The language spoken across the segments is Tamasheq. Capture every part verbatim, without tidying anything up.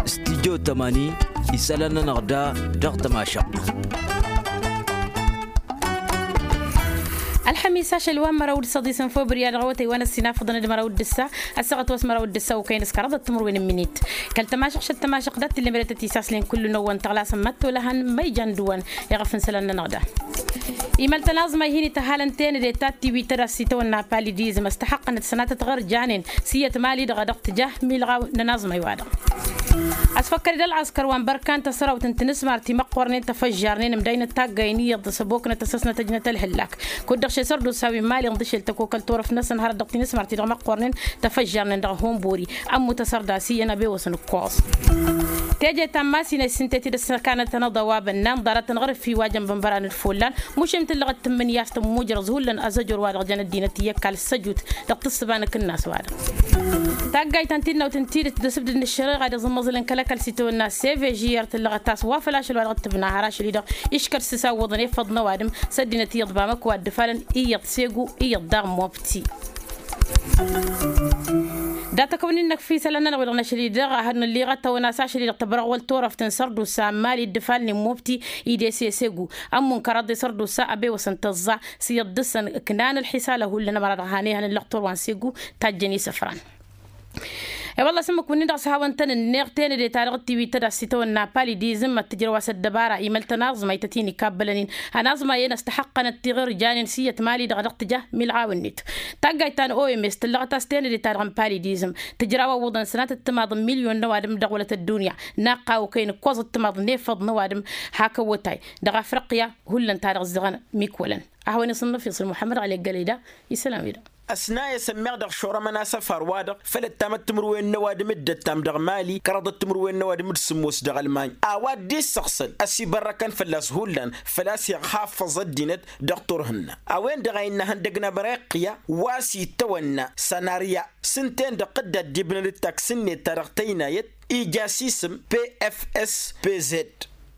Studyo tămani isălan-nănăɣ da dăɣ-tămašăɣt. Ălxămis ašăl wa n-măraw d-săḍis n-februar dăɣ-awătay wa n-ăssinafăḍăn d-măraw d-ǝssa ăssaɣăt wa s-măraw d-ǝssa okăyăn s-kăraḍăt timǝrwen n-minit. Kăl-tămašăɣt šăt tămašăɣt dat-t-illa meretăt isaslin kullu n-ăwwăn tăɣlasăn măttolăhăn ma ijan dăwăn. Iɣăf n-isălan-nănăɣ da imăl-tăn aẓmay hin-ităhalăn tenăde ta t-tiwit tădast s-itawănna palidizm ăstăxăqqănăt sănatăt ɣăr janen s-iyyăt mali-dăɣ a dăɣ-tǝja milɣaw n-ănaẓmay-wa-dăɣ. Ăsfăkkăd-dd ălɣăskăr wa n-bărkan tasărawt n-tinǝsmar timăqqornen tăfăžžarnen ǝmdăynăt taggay n-iyyăḍ s-ăboknăt ăssăsnăt ăjnăt ălhǝllak. Kud-dăɣ šesăr d-usawi n-mali ǝnḍǝšel tăkokăl turăft-năsăn hărăt dăɣ-tinǝsmar-ti-dăɣ măqqornen tăfăžžarnen dăɣ-hunburi. Ămmut asărdasi iyyăn abewăsăn ǝkkoẓ. Teje ta n-masinăy s-ǝntet-dd ăssăkanăt anăḍăwabăn n-anḍarăt n-ɣărǝfi wa jăn bănbăran d-follan. Mušem tǝllăɣăt tǝmmǝnǝya s-tămmujrăẓ hullan azăjor-wa-dăɣ jăn ăddinăt iyyăkkal s-ăjut dăɣ-tǝssǝba n-akǝnnas-wa-dăɣ. Taggayt ta n-tinnawt n-tidǝt d-asǝbdǝd n-ăššăreɣa d-iẓǝmmăẓǝlăn kăl-ăkall s-itawănna sevežiyăr tǝllăɣăt a-s wa făl ašăl wa dăɣ-tǝbna har ašăl-i-dăɣ iškăr s-isawwăḍăn efăḍ n-ăwadǝm s-ăddinăt iyyăḍ bamak wa dd-ǝfalăn iyyăḍ segu iyyăḍ daɣ mobti. Dat-ăkk wăn-innăk fi isălan-nănăɣ wi-dăɣ n-ašăl-i-dăɣ a hărnălliɣăt tăwăna s-ašăl-i-dăɣ tăbrăɣwăl turăft n-sărdusa n-mali dd-ǝfalnen mobti idese segu. Ămmun kăraḍe sărdusa ăbewăsăn tăẓẓa s-iyyăḍ dăɣ-săn ǝknan ălḥisală hullan ămăra-dăɣ han ehăn ǝllăɣ turwa n-segu tajjăn isăfran. E-wălla s-ǝmmǝk-wǝnnin-dăɣ s-hawăn-tăn-ǝnneɣ tenăde ta dăɣ-tiwit tădast s-itawănna palidizm ad-tǝjrăw a-s ăddăbara imăl-tăn aẓmay tăt-in-ikabbalăn-in. Ănaẓmay-en ăstăxăqqănăt tiɣǝrjanen s-iyyăt mali-dăɣ a dăɣ-tǝja milɣaw-net. Taggayt ta n-oms tǝllăɣăt a-s tenăde ta dăɣ-n palidizm tǝjraw ăwwăḍăn sănatăt timaḍ n-milyon n-ăwadǝm dăɣ-wălăt ăddunya. Naqqaw okăyăn ǝkkoẓăt timaḍ n-efăḍ n-ăwadǝm hak ăwwătay dăɣ-afriqya. Hullan ta dăɣ-ǝzzăɣăn mikwălăn. A hawăn-isǝnnăf iṣǝl muḥămmăd ɣali ăggălăy da isălan-wi-dăɣ. Ăsnayăs ămmiɣ dăɣ-šorămăn asăfar-wa-dăɣ făll-ăttamăt timǝrwen n-ăwadǝm dd-ăttam dăɣ-mali kăraḍăt timǝrwen n-ăwadǝm d-sǝmmos dăɣ-ălmany. A-wa dd-issăɣsăn ăsibărrăkăn fălla-s hullan făl-a-s iɣhafăẓ ăddinăt dăɣ-turhǝnna. A-wen-dăɣ a innă ihăndăg n-ameriqya wa s-itawănna sanarya s-ǝnta-en-dăɣ dd-addibnăn d-taks-net ta dăɣ-tăynayăt ija s-isǝm pfspz.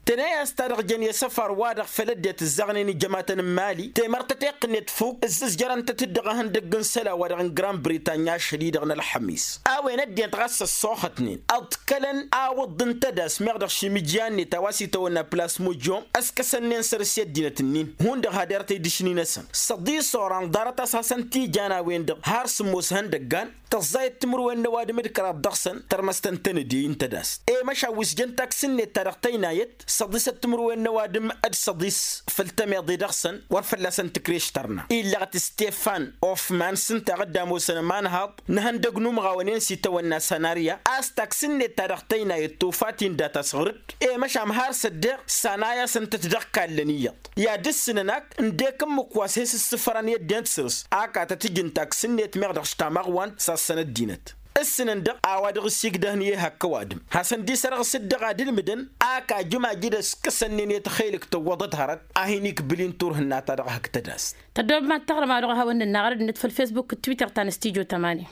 Tănăy a-s ta dăɣ-jăn i-asăfar-wa-dăɣ făll-ăddinăt ǝzzaɣnen ijămatăn n-mali temărt tăteqqǝnet fuk ǝzzǝzjărăn-tăt-dd dăɣ-ehăndăgg n-isălan-wa-dăɣ n-grand britanya ašăl-i-dăɣ n-ălxămis. A-wen ăddinăt ɣas ăssoxătnen ăḍkălăn awǝḍ n-tădas meɣ dăɣ-šimǝjya-net a-wa s-itawănna plasmojom ăskăsănnen săr-s i-ăddinăt-nin hundăɣ haderăt idǝšni-năsăn. Săḍis oran ḍarăt a-s hasăn-t-ijan a-wen-dăɣ har sǝmmos ihăndăggan. Tăẓẓayăt timǝrwen n-ăwadǝm d-kăraḍ dăɣ-săn tărmăstăn tenăde-i n-tădast. I-măšan wi s-jăn taks-net ta dăɣ-tăynayăt săḍisăt timǝrwen n-ăwadǝm d-săḍis făll-tămeḍe dăɣ-săn wăr fălla-săn tǝkreš tărna illăɣăt stefan ofman s-ǝnta a dd-ămoosăn ămanhaḍ n-ihăndăg n-umɣawăn-en s-itawănna sanarya. A-s taks-net ta dăɣ-tăynayăt tufa-t-in dat-asɣǝrǝd. I-măšan har s-ăddeɣ sanay'-asăn-tăt dăɣ-kallăn iyyăḍ i-ad-ǝssǝnăn ak ǝndek ǝmmǝk wa s-he-s ǝssǝfărăn i-ăddinăt săr-s ak a tăt-ǝjǝn taks-net meɣ dăɣ-s tamăɣwant s-assăn ăddinăt. Ǝssǝnăn-dăɣ a-wa dăɣ-s igdăhăn i-ehăkk ăwadǝm hasăn-dd-isărɣǝs-dd dăɣ-ad-ǝlmǝdăn ak ajǝm ajǝd ăskăsăn-nen i-tăxelǝk tǝwwăḍăt hărăt a hin-ikbǝl-in turhǝnna ta dăɣ-hak tădast. Tăddoobăm ad-taɣrǝm a-wa dăɣ-hawăn-nǝnna ɣărăd-net făll-fesbuk d-twitter ta n-studyo tămani.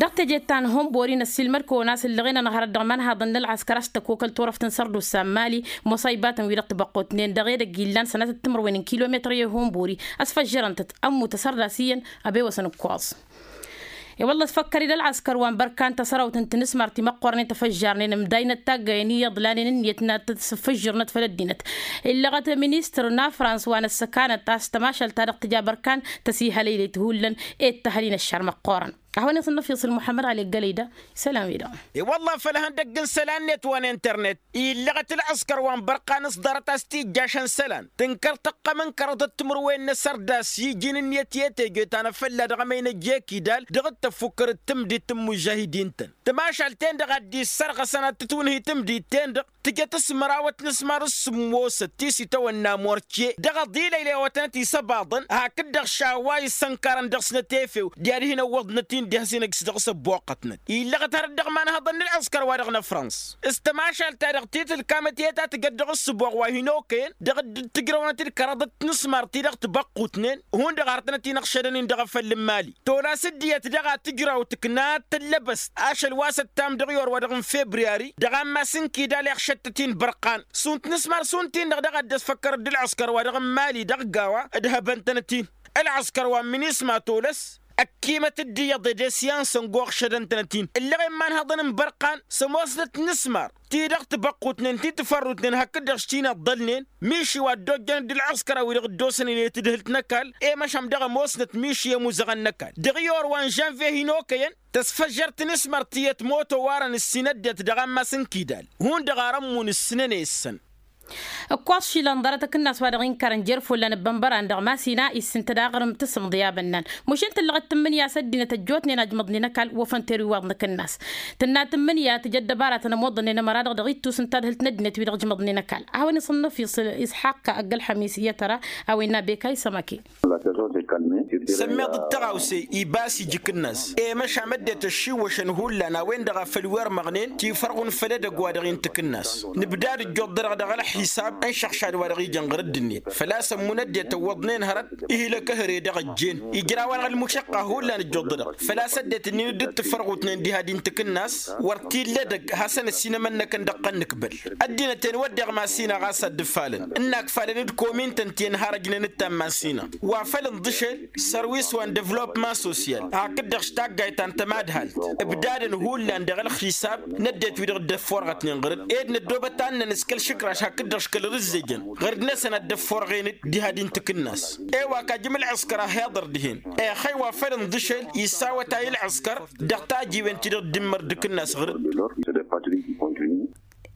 Dăɣ-teje ta n-hunbori năssiilmăd-kăwăn a-s ǝllăɣen-anăɣ hărăt dăɣ-imanhaḍăn n-ălɣăskăr a-s tăkokăl turăft n-sărdusa n-mali. Musăybatăn-wi-dăɣ tibăqqutnen dăɣ-edăgg illan sănatăt timǝrwen n-kilometăr i-hunbori ăsfăžžărăn-tăt ămmut asărdas iyyăn. Ăbewăsăn ǝkkoẓ. I-wălla ăsfăkkăr-dd ălɣăskăr wa n-bărkan tasărawt n-tinǝsmar timăqqornen tăfăžžarnen ǝmdayăn ăttaggăyăn iyyăḍ lanen ǝnniyăt n-ad-tǝfǝžžǝrnăt făll-ăddinăt. Illăɣăt ministăr n-afrans wa n-ăssăkanăt a-s tămašalt ta dăɣ-tǝja bărkan tăsihălăylăyt hullan. I-dd-tăhăl-in ăššar măqqoorăn. Ad-hawăn-isǝnnăf iṣǝl muḥămmăd ɣali ăggălăy da isălan-wi-dăɣ. I-wălla făll-ihăndăgg n-isălan-net wa n-internet illăɣăt ălɣăskăr wa n-bărqan s-ḍarăt a-s tijjašăn isălan tǝnkăr tăqqăm n-kăraḍăt timǝrwen n-asărdas i-iji n-ǝnniyăt i-teje ta n-afălla dăɣ-emăynăj i-kidal dăɣ-dd-tăffukkăr d-tamdit n-imužžahidin-tăn. Tămašalt-en-dăɣ a dd-issărɣăsăn ad-tǝtwǝnhǝy tamdit-en-dăɣ tǝjăt s-măraw ătnǝsmar s-sǝmmosăt ti s-itawănna morce dăɣ-aḍil ăylewătnăt isăbaḍăn hakd-dăɣ šawa issănkarăn dăɣ-snăt efew. Diha ad-hin-ăwwăḍnăt-in diha s-inăjj s-dăɣ-s ăbboqqătnăt illăɣăt hărăt dăɣ-imanhăḍăn n-ălɣăskăr-wa-dăɣ n-afrans. S-tămašalt-ta-dăɣ ti tǝlkamăt i-ta tǝjăt dăɣ-ǝssǝboɣ wa hin-okăyăn dăɣ-dd-tǝjrăwnăt d-kăraḍăt tinǝsmar-ti-dăɣ tibăqqutnen. Hundăɣ arătnăt-in ăɣšădăn-in dăɣ-afăl n-imali tolăs dd-iyyăt daɣ ad-tǝjraw tǝkna tăllăbăst ašăl wa s-ăttam dăɣ-i orwa-dăɣ n-februari dăɣ-ammas n-kidal iɣšăt-tăt-in bărqan. Šund tinǝsmar šund-tin-dăɣ daɣ a dd-ăsfăkkăr dd-ălɣăskăr-wa-dăɣ n-imali dăɣ-gawa ǝdhăbăn-tănăt-in. Ălɣăskăr wa n-minisma tolăs Ăkkiimăt-dd iyyăḍ ed esyansăn goɣšădăn-tănăt-in ǝllăɣen ma n-hăḍăn n-bărqan s-ămoosnăt n-asmar ti-dăɣ tibăqqutnen ti tǝfărrutnen hakd-dăɣ s-ti n-iḍḍălnen. Miši wa dd-ojjăn d-ǝlɣǝskăra wi-dăɣ dd-osănen i-tǝdhǝlt n-ăkall i-măšan dăɣ-ămoosnăt miši i-ămuzăɣăn n-ăkall dăɣ-i orwa n-žănve hin-okăyăn. Tăsfăžžărt n-asmar ti ătmoto oarăn ǝssin ăddinăt dăɣ-ammas n-kidal hundăɣ ar ămmun ǝssǝnăn i-issăn. Ǝkkoẓ šilăn ḍarăt akǝnnas wa dăɣ-inkărăn jer-follan ăbbănbăran dăɣ-masina issǝntăd aɣrǝm tǝsǝmḍǝy a bănnan mušǝn tǝllăɣăt tǝmmǝnǝya s-ăddinăt ăjjootnen a ǝjmăḍnen ăkall. Wăfăn terwi iwaḍ n-akǝnnas tǝnna tǝmmǝnǝya tǝjăd dăbaratăn ămoḍănnen ămăra-dăɣ dăɣ-ittus ǝnta d-hǝlt n-ăddinăt wi-dăɣ ǝjmăḍnen ăkall a-wen isǝnnăf isǝl isḥaqq ăgg-ălxămis i-ad-tăra a-wa innă bekay sămăke. Sămmeḍ d-tăɣawse ibas ija akǝnnas i-măšam ăddinăt ăššiwwăšăn hullan a-wen-dăɣ a făl-wi-ărmăɣnen tifărɣun făll-edăgg wa dăɣ-i n-takǝnnas. Nǝbdad ǝjjuḍ-dăɣ dăɣ-ălxisab n-išăɣšad wa dăɣ-ijăn ɣǝr-dd-net făl-a-s ămmun ăddinăt ăwwăḍnen hărăt. Ihlăk ehăre dăɣ-ăjjeen ijraw-anăɣ ălmušăqqa hullan ǝjjuḍ-dăɣ făl-a-s ăddinăt ǝnnin dd-tifărɣutnen diha din takǝnnas. Wăr t-illa edăgg hasăn-ăssinămănnăkăn dăɣ-tăn-nǝkbăl ăddinăt-en wădden ɣas-inăɣ a-s ad-dd-ǝffalăn ǝnn'-ak falăn d-komintăn ti ănharăjnen d-tammasin-a wa făl ǝnḍǝšel sărwis wa n-devlopman sosyal hakd-dăɣ s-taggayt ta n-tămadhalt. Ǝbdadăn hullan dăɣ-ălxisab n-ăddinăt wi-dăɣ dd-ăfforɣătnen ɣăr-dd ed năddoobăt ad-năn s-kăl-išǝkraš hakd-dăɣ s-kăl-rǝzzejăn ɣăr-dd-năsăn ad-dd-ăfforɣen-dd diha din takǝnnas. Ewak ajǝm ǝlɣǝskăr a hi-iḍăr dihen exăy wa făl ǝnḍǝšel isawătay ǝlɣǝskăr dăɣ-tajiwen ti-dăɣ dd-immăr d-akǝnnas ɣăr-dd.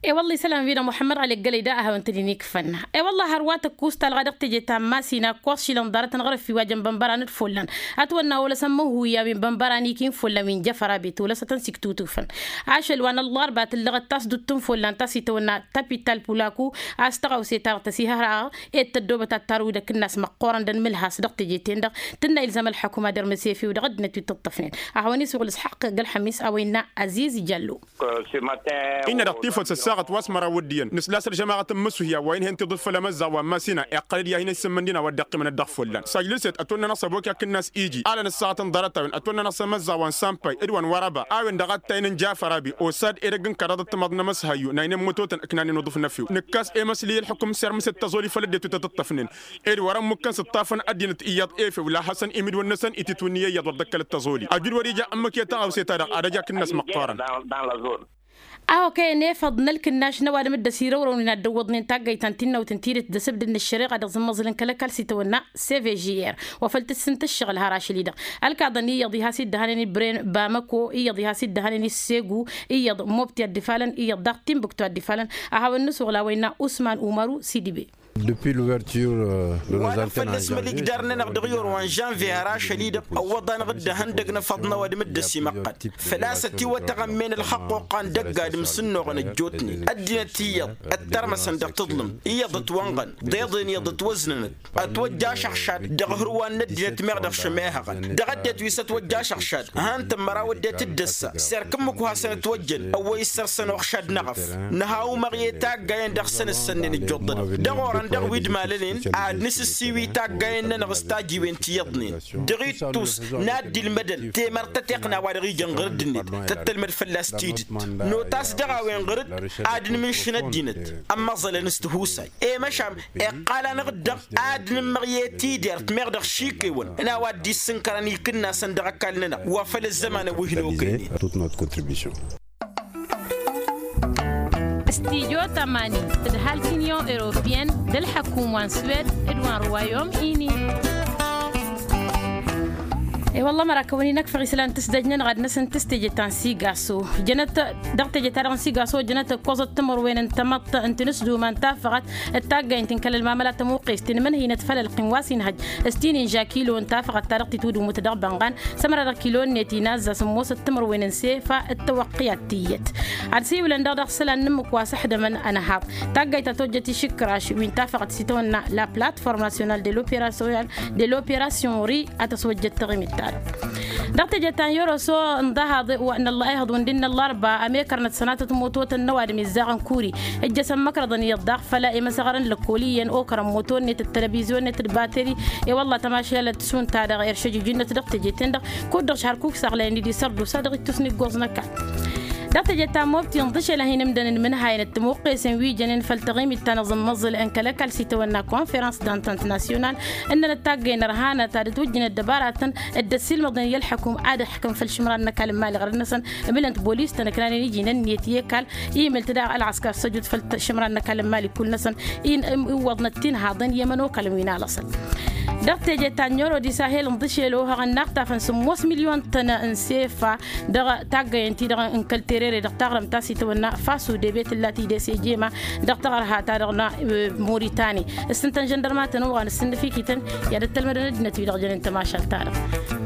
E-wălla isălan-wi-dăɣ muḥămmăd ɣali ăggălăy da a hawăn-tăn-in-ikfănna. E-wălla hărwa tăkkus talɣa dăɣ-teje ta n-masina ǝkkoẓ šilăn ḍarătăn ɣărăf-i wa jăn bănbăran d-follan. Ătwănna olăsăn mănhuy a-wen bănbăran ikin follan wi n-jăfăra bet olăsătăn s-iktutufăn ašăl wa n-ăllarba tǝllăɣăt tasdut n-follan ta s-itawănna tapital pulaku. A-s tăɣawse-ta-dăɣ tăsihăraɣ ed tăddoobăt ad-tarwi d-akǝnnas măqqoorăn d-ănmǝlhas dăɣ-teje-ten-dăɣ tǝnna ilzam ălḥăkuma d-ermăsefi-wi dăɣ-ăddinăt wi t-ǝṭṭăfnen. A hawăn-iswăɣ l-isḥăqq ăgg-ălxămis a-wa innă aziz jallo. Innă dăɣ-tifăt s-ăssaɣăt wa s-măraw d-iyyăn nǝsla a-s ălžămaɣăt n-imǝssuhya wa inhen tiḍǝf făll-emăzzaɣ wa n-masina iqqăl-dd i-ad-hin-issǝmmǝndin a-wa dd-iqqimăn ăddiɣ follan. Sajlǝlset ătwănna n-asăbok i-akǝnnas iji alăn ăssaɣăt n-ḍarăt-a-wen ătwănna n-asămăzzaɣ wa n-sampay d-wa n-wărăba a-wen-dăɣ a t-taynen jafăr abi osad edăgg n-kăraḍăt timaḍ n-emăshăyyu n-aynen mătotăn ǝknanen uḍǝf n-efew nǝkkas emăsli i-ălḥukǝm s-ermǝset taẓoli făll-ăddinăt wi tăt-ǝṭṭăfnen. Ed wăr-ămmukăn s-ǝṭṭafăn ăddinăt iyyăḍ efew la hasăn imidwăn-năsăn ititwǝnni i-iyyăḍ wăr dd-ăkkălăt taẓoli ăjud wăr-ija ǝmmǝk i-taɣawse-ta-dăɣ ad-ăj akǝnnas măqqoorăn. A okăyăn efăḍ n-ălkǝnnaš n-ăwadǝm dd-ăsirăwrăwnen ad-dd-ăwwăḍnen taggayt ta n-tinnawt n-tidǝt d-asǝbdǝd n-ăššăreɣa dăɣ-zǝmmăẓǝl n-kăl-ăkall s-itawănna. Cvjr wa făl tǝssǝnt ǝššăɣǝl har ašăl-i-dăɣ ălkaḍăn iyyăḍ i-has-iddăhanen ibrem bamăko iyyăḍ i-has-iddăhanen i-segu iyyăḍ mobti ad-dd-ifalăn iyyăḍ daɣ timbuktu ad-dd-ifalăn. A hawăn-nǝsuɣǝl a-wa innă usman umaru sidibe. Wa-dăɣ făl nǝsmăl igdar-nănăɣ dăɣ-i orwa n-žănve har ašăl-i-dăɣ ăwwăḍ-anăɣ-dd ehăndăg n-efăḍ n-ăwadǝm dd-ăsimăqqăd. Făl-a-s ătiwătăɣ ămmen ălxăqqoqqa n-dăgg-adǝm s-ǝnnuɣăn ăjjootnen ăddinăt iyyăḍ ăttărmăsăn dăɣ-tǝḍlǝmt iyyăḍ ătwănɣăn d-eḍen iyyăḍ ătwăznănăt. Ătwăjja ašăɣšad dăɣ-hărwa n-ăddinăt meɣ dăɣ-šămehăɣăn dăɣ-ăddinăt wi s-ătwăjja ašăɣšad. Han-tăn măraw ăddinăt dd-ăssa s-erk ǝmmǝk wa hasăn-ătwăjjăn ăwwăy ǝssărsăn uɣšad n-eɣăf. Nǝha umăɣ i-taggayen dăɣ-săn ǝssănnen ǝjjuḍ-dăɣ dăɣ-orăn dăɣ-wi d-malănen. Ad-nǝsǝssiwi taggayen-nănăɣ s-tajiwen ti iyyăḍnen dăɣ-ittus n-ad-dd-ilmădăn temărt tăteqna wa dăɣ-ijăn ɣăr dd-net tăt-tălmăd fălla-s tidǝt. Notas dăɣ-a-wen ɣăr-dd ad-nǝmǝnšǝn ăddinăt ămmăẓălăn s-tihusay. I-măšan iqqal-anăɣ-dd dăɣ ad-nǝmmăɣ i-tidert meɣ dăɣ-šikewăn n-a-wa dd-issǝnkărăn ikǝnnasăn dăɣ-ăkall-nănăɣ wa făl ăzzămanăn wi hin-okăynen. Studyo tămani d-halt union europeyenne d-ălḥăkum wa n-swed d-wa n-royaume uni. I-wălla mărakăwăn-in ăkfăɣ isălan tǝsdăj-nănăɣ ad-năsăn tǝs teje ta n-sigaso jănăt dăɣ-teje-ta-dăɣ n-sigaso jănăt ǝkkoẓăt timărwen n-tamăḍt n-tinǝsduma n-tafăɣăt. D-taggaynt n-kăl-ălmamăla tămuqqest tinmǝnhăynăt făll-ălqim wa s-inhăj s-tinin žakilo n-tafăɣăt ta dăɣ-titwǝdǝmut dăɣ-bănɣan. S-ămăra dăɣ-kilo-net inazza sǝmmosăt timărwen n-sefa d-tawăqqiyat tiyyăt. Ad-siwǝlăn dăɣ-dăɣ isălan n-ǝmmǝk wa s-ăḥdămăn ănhăḍ taggayt ta tojjăt išǝkraš wi n-tafăɣăt s-itawănna la plateforme nationale de l'opération de l'opération ri. Ad-tăswăjjăt taɣimit-ta-dăɣ dăɣ-teje ta n-yoroso n-ḍahaḍ wa n-ăllah ihăḍ wǝndin n-ăllarba ămekărnăt sănatăt mototăn n-ăwadǝm izzăɣăn kuri. Ǝjjăsăn măkrăḍăn iyyăḍ daɣ făll-emăsăɣărăn lăkkol iyyăn okărăn moto-net d-telăbizyon-net d-bateri. I-wălla tămašalăt šund-ta-dăɣ eršăjujǝnnăt dăɣ-teje-ten-dăɣ kud-dăɣ šhar kuk saɣlayăn-dd isărdusa dăɣ-ittus n-iggoẓ n-ăkall. Dăɣ-teje ta n-mobti ǝnḍǝšel ad-hin-ǝmdănăn imǝnhayăn d-timuqqesen wi jănen făll-taɣimit ta n-aẓǝmmăẓǝl n-kăl-ăkall s-itawănna konferăns dantănt nasyonal ǝnnăn ăttaggăyăn ărhanăt ad-ǝtwǝjjǝnăt dăbaratăn d-ăssiilmăḍnen i-ălḥăkum ad-ǝḥkăm făll-išǝmran n-ăkall n-imali ɣărăn-năsăn. Ǝmǝlăn-t bolis-tăn ǝknanen iji n-ǝnniyăt i-ăkall imǝl-t daɣ ălɣăskar s-ăjut făll-išǝmran n-ăkall n-imali kull-năsăn iwwăḍnăt tinhaḍen i-ămănokălăn wi n-alăṣăl. Dăɣ-teje ta n-ewro d-isahel ǝnḍǝšel ohăɣăn n-aɣtafăn sǝmmos milyon-tăn n-sefa dăɣ-taggăyăn-ti-dăɣ n-kăl-terere dăɣ-taɣrǝmt ta s-itawănna fasu debe tǝlla tidese jema dăɣ-taɣărha-ta-dăɣ n-moritani. S-ǝnta n-žăndărma tăn-oɣan s-ǝnnǝfikităn i-ad-ăttălmădăn ăddinăt-wi-dăɣ jănen tămašalt-ta-dăɣ.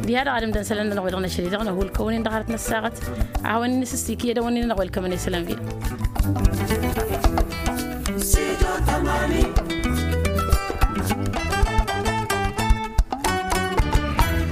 Diha-dăɣ ad-ǝmdăn isălan-nănăɣ wi-dăɣ năšăl-i-dăɣ năhulkăwăn-in dăɣ-arăt n-ăssaɣăt a hawăn-in-nǝsǝstik i-ad-ăwăn-in-nănăɣ welkămăn isălan-wi-dăɣ.